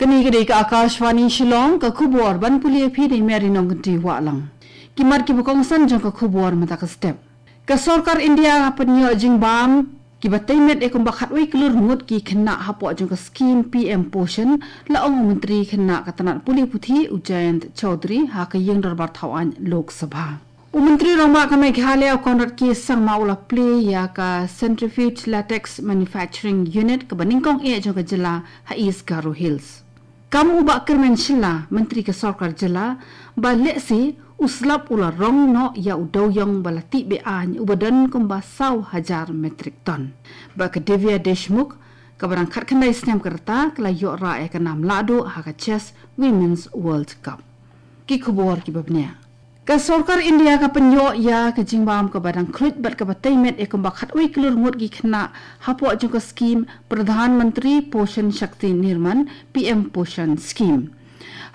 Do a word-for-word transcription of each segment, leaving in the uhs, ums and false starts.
Kane ka dei ka Akashvani Shillong, ka khubor ban pule ïa phi da i Mary Nongkynrih Wahlang. Ki mat kiba kongsan jong ka khubor mynta ka step. Ka sorkar India ka pynïoh jingbam kiba tei met ïa kumba khatwei klur ngut ki khynnah hapoh jong ka skhim P M Poshan, la ong u Myntri Khynnah ka tnat pule puthi u Jayant Chaudhary ha ka ïing dorbar thaw aiñ Lok Sabha. U Myntri Rangbah ka Meghalaya u Conrad K Sangma u la plie ïa ka Centrifuge Latex Manufacturing Unit kaba nyngkong eh jong ka jylla ha East Garo Hills. Kam u Bah Kyrmen Shylla, Myntri ka sorkar jylla, ba lehse u slap u la rong noh ïa u dewïong ba la tih be-aiñ uba don kumba saw hajar metric ton. Bad ka Divya Deshmukh, kaba dang khatkhyndai snem ka rta, ka la ïoh rah ïa ka nam lahduh ha ka Chess Women's World Cup. Ki khubor kiba bniah. Ka sorkar India ka pynïoh ïa ka jingbam kaba dang khluit bad kaba tei met ïa kumba khatwei klur ngut ki khynnah hapoh jong ka skhim Pradhan Mantri Poshan Shakti Nirman, P M Poshan Scheme.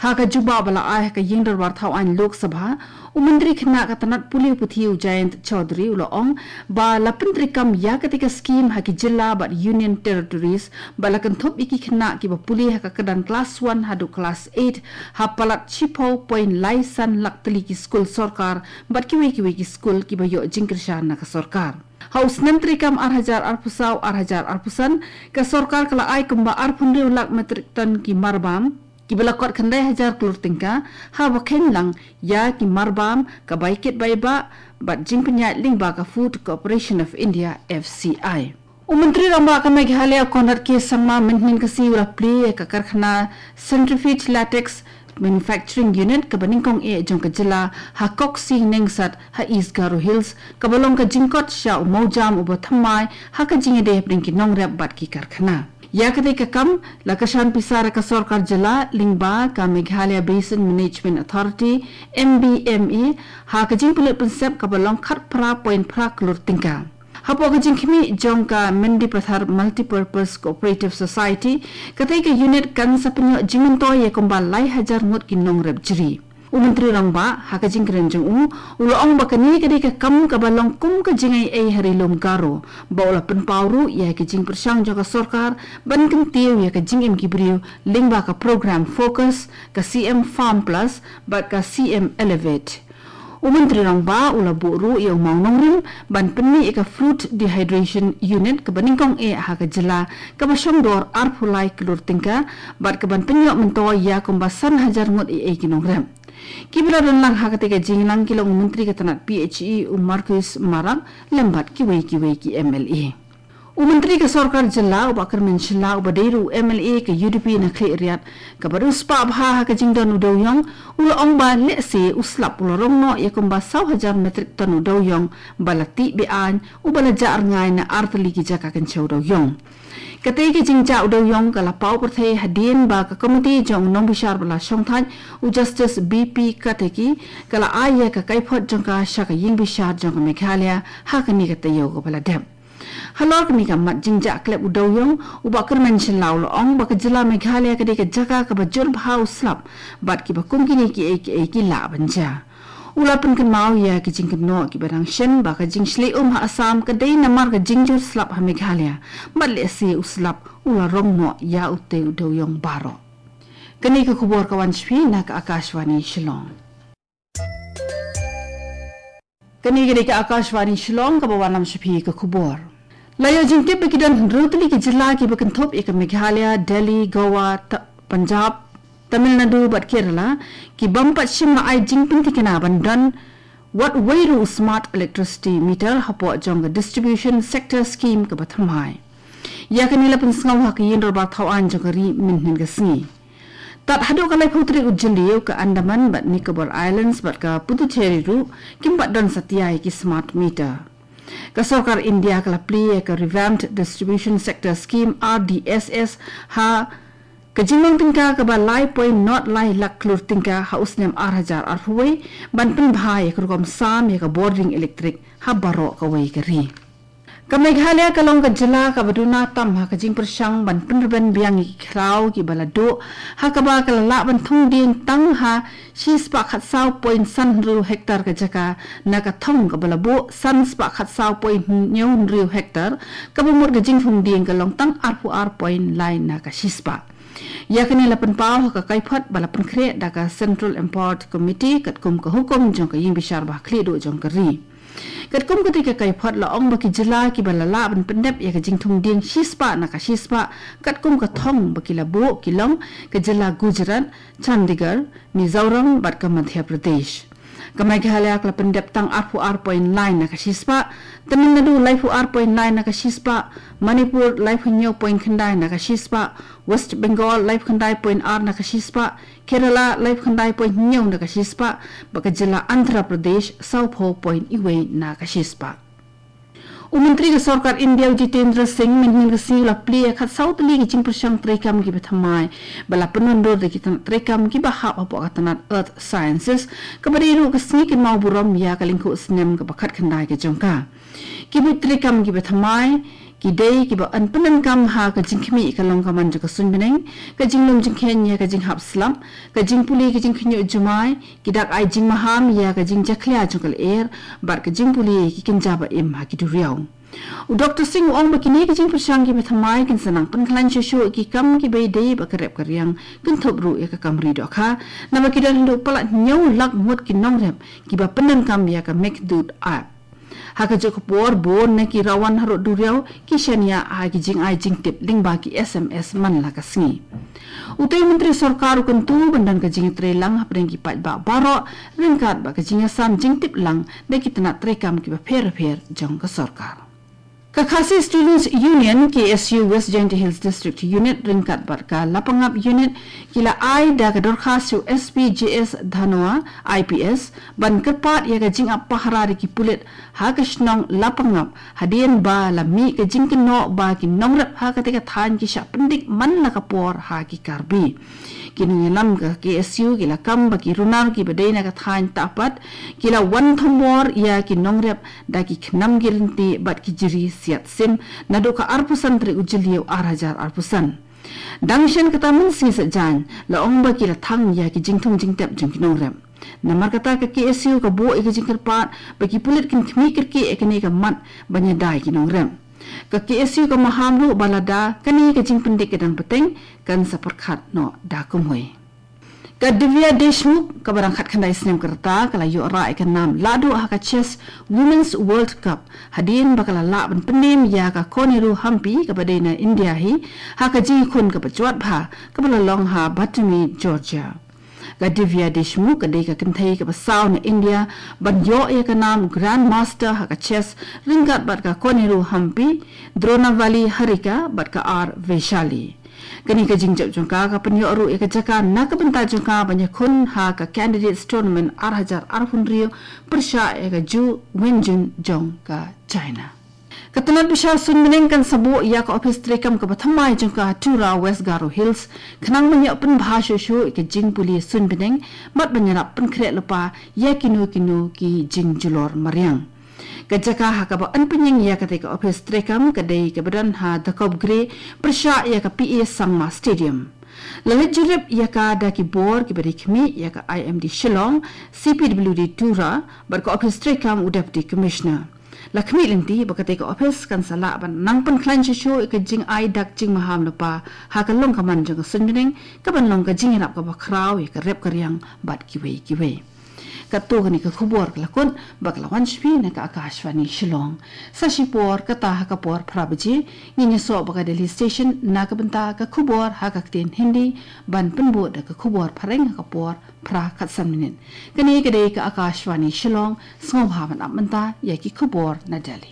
Ha ka jubab ba la ai ha ka ïing dorbar thaw aiñ Lok Sabha, u Myntri Khynnah ka tnat pule puthi u Jayant Chaudhary u la ong ba la pyntreikam ïa katei ka skhim ha ki jylla bad Union Territories, ba la kynthup ïa ki khynnah kiba pule ha ka kyrdan klas one haduh klas eight ha palat shiphew point lai san lak tylli ki skul sorkar bad kiwei kiwei ki skul kiba ïoh jingkyrshan na ka sorkar. Ha u snem treikam ar hajar arphew saw ar hajar arphew san, ka sorkar ka la ai kumba arphew hynriew lak metric ton ki marbam kiba la kot khyndai hajar klur tyngka, haba kheiñ lang ïa ki marbam ka bai kit bai bah bad jingpynïaid lyngba ka Food Corporation of India, F C I. U Myntri Rangbah ka Meghalaya u Conrad K Sangma mynhynnin ka sngi u la plie ïa ka karkhana Centrifuge Latex Manufacturing Unit kaba nyngkong eh jong ka jylla ha Koksi Nengsat ha East Garo Hills, kaba long ka jingkot sha u mawjam uba thymmai ha ka jingïadei hapdeng ki nongrep bad ki karkhana. Ïa katei ka kam la kyrshan pisa da ka sorkar jylla lyngba ka Meghalaya Basin Management Authority, M B M A, ha ka jingpynlut pynsep kaba long khatphra point phra klur tyngka. Hapoh ka jingkhmih jong ka Mendipathar Multipurpose Cooperative Society, katei ka unit kan sa pynïoh jingmyntoi ïa kumba lai hajar ngut ki nongrep jri. U Myntri Rangbah, ha ka jingkren jong u, u la ong ba kane ka dei ka kam kaba long kum ka jingaiei ha Ri Lum Garo, ba u la pynpaw ruh ïa ka jingpyrshang jong ka sorkar ban kyntiew ïa ka jingim ki briew lyngba ka program Focus, ka C M Farm Plus bad ka C M Elevate. U Myntri Rangbah u la buh ruh ïa u mawnongrim ban pynmih ïa ka Fruit Dehydration Unit kaba nyngkong eh ha ka jylla, kaba shongdor arphew lai klur tyngka bad kaban pynïoh myntoi ïa kumba san hajar ngut eiei ki nongrep. Kiba la don lang ha katei ka jingïalang ki long u Myntri ka tnat P H E u Marcuise Marak lem bad kiwei kiwei ki M L A. U Myntri ka sorkar jylla u Bah Kyrmen Shylla uba dei ruh u M L A ka U D P na Khliehriat, kaba riewspah bha ha ka jingdon u dewïong, u la ong ba lehse u slap u la rong noh ïa kumba saw hajar metric ton u dewïong ba la tih be-aiñ, uba la jah rngai na artylli ki jaka kynshew dewïong. Katei ka jingjah u dewïong ka la paw pyrthei hadien ba ka komiti jong u nongbishar ba la shongthait, u Justice B P Karthike, ka la ai ïa ka kaiphod jong ka sha ka ïing bishar jong ka Meghalaya ha kane ka taïew kaba la dep. Halor kane ka mat jingjah klep u dewïong, u Bah Kyrmen Shylla u la ong ba ka jylla Meghalaya ka dei ka jaka kaba jur bha u slap bad kiba kum kine kiei kiei ki lah ban jia. U la pynkynmaw ïa ki jingkynnoh kiba dang shen ba ka jingshlei um ha Assam ka dei namar ka jingjur slap ha Meghalaya, bad lehse u slap u la rong noh ïa utei u dewïong baroh. Kane ka khubor ka wan sha phi na ka Akashvani Shillong. Kane ka dei ka Akashvani Shillong kaba wanlam sha phi ka khubor. La ïoh jingtip ba ki don hynriew tylli ki jylla kiba kynthup ïa ka Meghalaya, Delhi, Goa, Ta-, Punjab, Tamil Nadu bad Kerala, ki bym pat shym la ai jingpynthikna ban don wat wei ruh u smart electricity meter hapoh jong ka distribution sector scheme kaba thymmai. Ïa kane la pynsngew ha ka ïing dorbar thaw aiñ jong ka ri mynhynnin ka sngi. Tad haduh ka laiphew tarik u Jylliew ka Andaman bad Nicobar Islands bad ka Puducherry ruh kim pat don satia ïa ki smart meter. Ka sorkar India ka la plie ïa ka Revamped Distribution Sector Scheme, R D S S, ha ka jinglong tyngka kaba lai point nod lai lak klur tyngka ha u snem ar hajar arphew wei, ban pynbha ïa ka rukom sam ïa ka bording elektrik ha baroh kawei ka ri. Ka Meghalaya ka long ka jylla kaba duna tam ha ka jingpyrshang ban pynrben biang ïa ki khraw kiba la duh, ha kaba ka la lah ban thung dieng tang ha shispah khatsaw point san hynriew hektar ka jaka na ka thong kaba la buh sanspah khatsaw point hynñiew hynriew hektar, kaba mut ka jingthung dieng ka long tang arphew ar point lai na ka shispah. Ïa kane la pynpaw ha ka kaiphod ba la pynkhreh da ka Central Empowered Committee katkum ka hukum jong ka Ïingbishar Bakhlieh Duh jong ka ri. Katkum kata ka kaiphod la ong ba ki jylla kiba la lah ban pyndep ïa ka jingthung dieng shispah na ka shispah katkum ka thong ba ki la buh ki long ka jylla Gujarat, Chandigarh, Mizoram bad ka Madhya Pradesh. Ka Meghalaya ka la pyndep tang arphew ar point lai na ka shispah, Tamil Nadu laiphew ar point lai na ka shispah, Manipur laiphew hynñiew point khyndai na ka shispah, West Bengal laiphew khyndai point ar na ka shispah, Kerala laiphew khyndai point hynñiew na ka shispah, bad ka jylla Andhra Pradesh sawphew point wei na ka shispah. U Myntri ka Sorkar India u Jitendra Singh mynhynnin ka sngi u la plie ïa khatsaw tylli ki jingpyrshang treikam kiba thymmai ba la pynwandur da ki tnat treikam kiba hap hapoh ka tnat Earth Sciences, kaba dei ruh ka sngi kynmaw burom ïa ka lyngkhuh snem kaba khatkhyndai ka jong ka. Ki buit treikam kiba thymmai ki dei kiba yn pyndonkam ha ka jingkhmih ka long ka man jong ka suiñ bneng, ka jinglum jingkheiñ ïa ka jinghap slap, ka jingpule ka jingkhynñiuh jumai, ki dak ai jingmaham ïa ka jingjakhlia jong ka lyer bad ka jingpule ki kynja ba im ha ki duriaw. U Doktor Singh u ong ba kine ki jingpyrshang kiba thymmai kin sa nang pynkhlaiñ shuh shuh ïa ki kam kiba ïadei bad ka rep ka riang, kynthup ruh ïa ka kam ri dohkha, naba ki don haduh palat hynñiew lak ngut ki nongrep kiba pyndonkam ïa ka Meghdoot app. Ha kajuh ka por bun na ki rawan harud duriaw ki shaniah ha ki jingai jingtip lyngba ki S M S man la ka sngi. Utei u Myntri Sorkar u kyntu ban don ka jingïatreilang hapdeng ki paidbah baroh ryngkat bad ka jingïasam jingtip lang da ki tnat treikam kiba pher bapher jong ka sorkar. Ka Khasi Students Union, K S U West Jaintia Hills District Unit ryngkat bad ka Lapangap Unit ki la ai da ka dorkhas sha u S P J S Dhanoa, I P S, ban kyrpad ïa ka jingap pahara da ki pulit ha ka shnong Lapangap, hadien ba la mih ka jingkynnoh ba ki nongrep ha katei ka thaiñ ki shah pyndik man la ka por ha ki Karbi. Ki nongïalam ka K S U ki la kam ba ki runar kiba dei na ka thaiñ Tahpat ki la wan thombor ïa ki nongrep da ki khnam ki ryntieh bad ki jri siat sim naduh ka arphew san tarik u Jylliew ar hajar arphew san. Dang shen kata, mynsngi saitjaiñ la ong ba ki la thang ïa ki jingthung jingtep jong ki nongrep. Namar kata ka K S U ka buh ïa ka jingkyrpad ba ki pulit kin khmih kyrkieh ïa kane ka mat ban ïada ïa ki nongrep. Ka K S U ka maham ruh ba lada kane ka jingpyndik ka dang bteng kan sa pyrkhat noh da kumwei. Ka Divya Deshmukh kaba dang khatkhyndai snem ka rta ka la ïoh rah ïa ka nam lahduh ha ka Chess Women's World Cup hadien ba ka la lah ban pynïeng ïa ka Koneru Hampi kaba dei na India hi ha ka jingïakhun kaba jwat bha kaba la long ha Batumi, Georgia. Ka Divya Deshmukh ka dei ka kynthei kaba saw na India ban ïoh ïa ka nam Grandmaster ha ka chess ryngkat bad ka Koneru Hampi, Dronavali Harika bad ka R Vaishali. Kane ka jingjop jong ka ka pynïoh ruh ïa ka jaka na ka bynta jong ka ban ïakhun ha ka Candidates Tournament ar hajar arphew hynriew pyrshah ïa ka Ju Wenjun jong ka China. Ka tnat bishar suiñ bneng kan sa buh ïa ka ophis treikam kaba thymmai jong ka ha Tura, West Garo Hills, khnang ban ïoh pynbha shuh shuh ïa ka jingpule suiñ bneng bad ban ïarap pynkhreh lypa ïa kino kino ki jingjulor mariang. Ka jaka ha kaba yn pynïeng ïa katei ka ophis treikam ka dei kaba don ha Dakopgre pyrshah ïa ka P A Sangma Stadium. La leit jurip ïa ka da ki bor kiba dei khmih ïa ka I M D Shillong, C P W D Tura bad ka ophis treikam u Deputy Commissioner. La khmih lynti ba katei ka ophis kan sa lah ban nang pynkhlaiñ shuh shuh ïa ka jingai dak jingmaham lypa ha ka long ka man jong ka suiñ bneng, kaban long ka jingïarap kaba khraw ïa ka rep ka riang bad kiwei kiwei. Katto katne ka khubor ka la kut bad ka la wan sha phi na ka Akashvani Shillong. Sa shipor kata ha ka por phra baje ngin ïasoh bad ka Delhi Station na ka bynta ka khubor ha ka ktien Hindi, ban pynbud da ka khubor phareng ha ka por phra khatsan minit. Kane ka dei ka Akashvani Shillong, sngewbha ban ap mynta ïa ki khubor na Delhi.